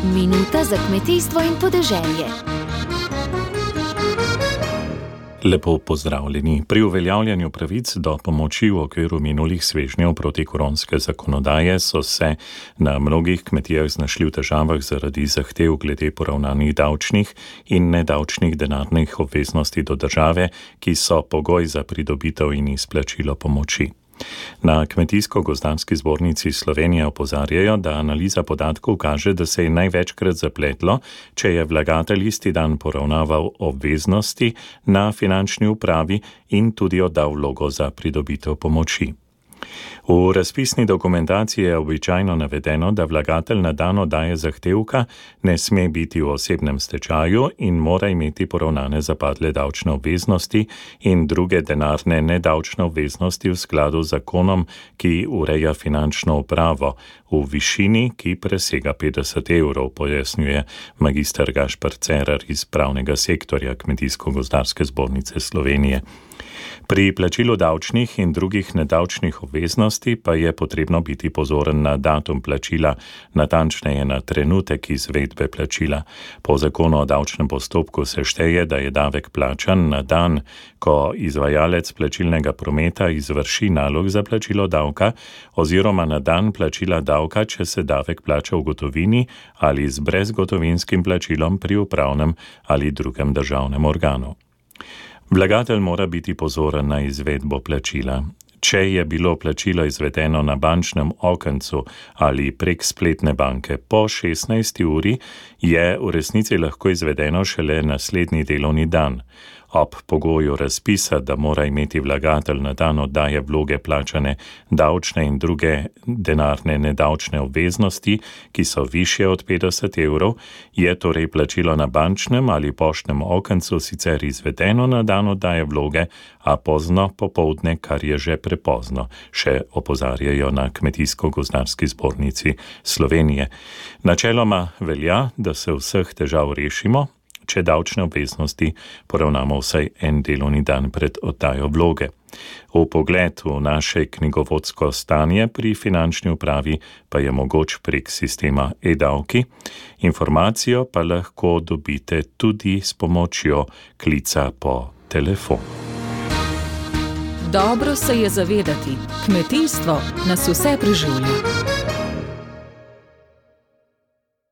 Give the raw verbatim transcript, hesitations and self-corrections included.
Minuta za kmetijstvo in podeželje. Lepo pozdravljeni. Pri uveljavljanju pravic do pomoči v okviru minulih svežnjev protikoronske zakonodaje so se na mnogih kmetijah znašli v težavah zaradi zahtev glede poravnanih davčnih in nedavčnih denarnih obveznosti do države, ki so pogoj za pridobitev in izplačilo pomoči. Na Kmetijsko-gozdarski zbornici Slovenije opozarjajo, da analiza podatkov kaže, da se je največkrat zapletlo, če je vlagatelj isti dan poravnaval obveznosti na finančni upravi in tudi oddal vlogo za pridobitev pomoči. V razpisni dokumentaciji je običajno navedeno, da vlagatelj na dan oddaje zahtevka ne sme biti v osebnem stečaju in mora imeti poravnane zapadle davčne obveznosti in druge denarne nedavčne obveznosti v skladu z zakonom, ki ureja finančno upravo v višini, ki presega petdeset evrov, pojasnjuje magister Gašper Cerar iz pravnega sektorja Kmetijsko-gozdarske zbornice Slovenije. Pri plačilu davčnih in drugih nedavčnih obveznosti pa je potrebno biti pozoren na datum plačila, natančneje na trenutek izvedbe plačila. Po zakonu o davčnem postopku se šteje, da je davek plačan na dan, ko izvajalec plačilnega prometa izvrši nalog za plačilo davka, oziroma na dan plačila davka, če se davek plača v gotovini ali z brezgotovinskim plačilom pri upravnem ali drugem državnem organu. Vlagatelj mora biti pozoren na izvedbo plačila. Če je bilo plačilo izvedeno na bančnem okencu ali prek spletne banke po šestnajsti uri, je v resnici lahko izvedeno šele naslednji delovni dan. Ob pogoju razpisa, da mora imeti vlagatelj na dan oddaje vloge plačane davčne in druge denarne nedavčne obveznosti, ki so višje od petdeset evrov, je torej plačilo na bančnem ali poštnem okencu sicer izvedeno na dan oddaje vloge, a pozno popoldne, kar je že prepozno, še opozarjajo na Kmetijsko-gozdarski zbornici Slovenije. Načeloma velja, da se vseh težav rešimo, če davčne obveznosti poravnamo vsaj en delovni dan pred oddajo vloge. V pogled v naše knjigovodsko stanje pri finančni upravi pa je mogoč prek sistema e-davki. Informacijo pa lahko dobite tudi s pomočjo klica po telefonu. Dobro se je zavedati, kmetijstvo nas vse preživlja.